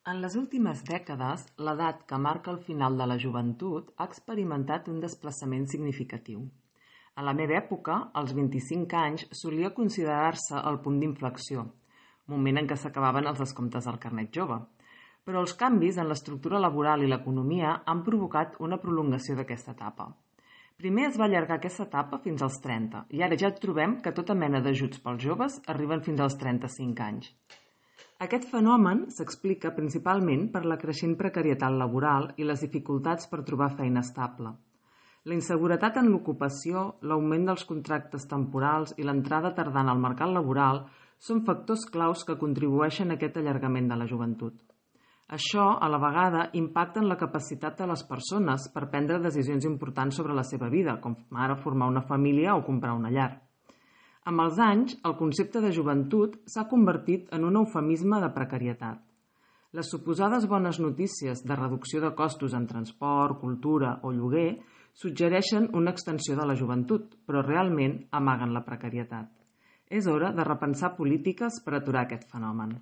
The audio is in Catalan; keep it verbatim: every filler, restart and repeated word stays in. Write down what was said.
En les últimes dècades, l'edat que marca el final de la joventut ha experimentat un desplaçament significatiu. A la meva època, als vint-i-cinc anys, solia considerar-se el punt d'inflexió, moment en què s'acabaven els descomptes del carnet jove. Però els canvis en l'estructura laboral i l'economia han provocat una prolongació d'aquesta etapa. Primer es va allargar aquesta etapa fins als trenta, i ara ja trobem que tota mena d'ajuts pels joves arriben fins als trenta-cinc anys. Aquest fenomen s'explica principalment per la creixent precarietat laboral i les dificultats per trobar feina estable. La inseguretat en l'ocupació, l'augment dels contractes temporals i l'entrada tardana al mercat laboral són factors claus que contribueixen a aquest allargament de la joventut. Això, a la vegada, impacta en la capacitat de les persones per prendre decisions importants sobre la seva vida, com ara formar una família o comprar una llar. Amb els anys, el concepte de joventut s'ha convertit en un eufemisme de precarietat. Les suposades bones notícies de reducció de costos en transport, cultura o lloguer suggereixen una extensió de la joventut, però realment amaguen la precarietat. És hora de repensar polítiques per aturar aquest fenomen.